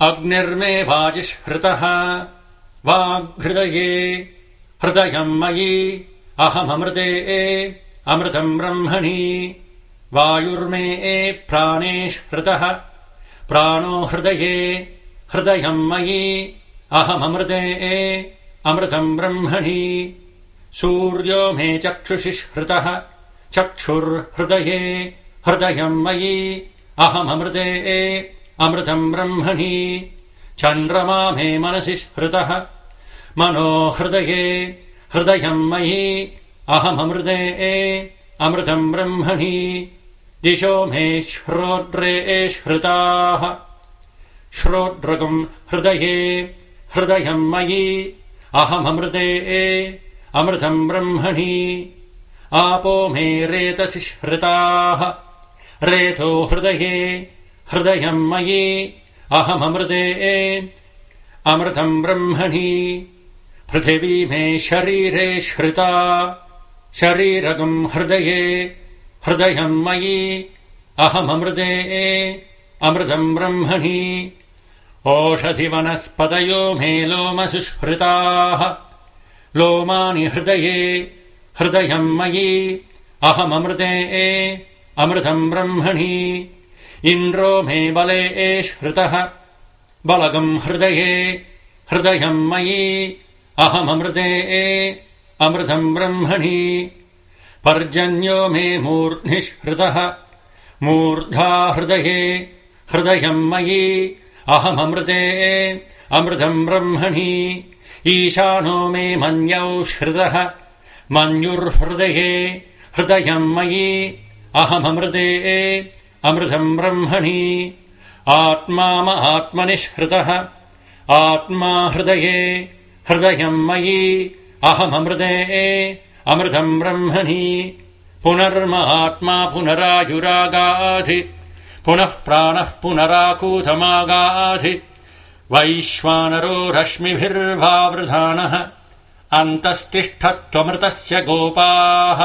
अग्निर्मे वाजिष्हृतः वाग्हृदये हृदयम् मयि अहममृते अमृतम् ब्रह्मणि वायुर्मे प्राणेष्हृतः प्राणो हृदये हृदयम् मयि अहममृते अमृतम् ब्रह्मणि सूर्यो मे चक्षुषि हृतः चक्षुर्हृदये हृदयम् मयि अहममृते अमृतम् ब्रह्मणि चन्द्रमा मे मनसि हृतः मनो हृदये हृदयम् मयि अहममृते अमृतम् ब्रह्मणि दिशो मे श्रोत्रे हृताः श्रोत्रगम् हृदये हृदयम् मयि अहममृते अमृतम् ब्रह्मणि आपो मे रेतसि हृताः रेतो हृदये हृदयम् मयि अहममृते अमृतम् ब्रह्मणि पृथिवी मे शरीरे श्रिता शरीरगम् हृदये हृदयम् मयि अहममृते अमृतम् ब्रह्मणि ओषधिवनस्पतयो मे लोमसुष्हृताः लोमानि हृदये हृदयम् मयि अहममृते अमृतम् ब्रह्मणि इन्द्रो मे बले श्रुतः बलगम् हृदये हृदयम् मयि अहममृते अमृतम् ब्रह्मणि पर्जन्यो मे मूर्ध्नि हृतः मूर्धा हृदये हृदयम् मयि अहममृते अमृतम् ब्रह्मणि ईशानो मे मन्यौ श्रुतः मन्युर्हृदये हृदयम् मयि अहममृते अमृतम् ब्रह्मणि आत्मा महात्मनि हृतः आत्मा हृदये हृदयम् मयि अहममृते अमृतम् ब्रह्मणि पुनर्महात्मा पुनरायुरागाधि पुनः प्राणः पुनराकूतमागाधि वैश्वानरो रश्मिभिर्वावृधानः अन्तस्तिष्ठत्वमृतस्य गोपाः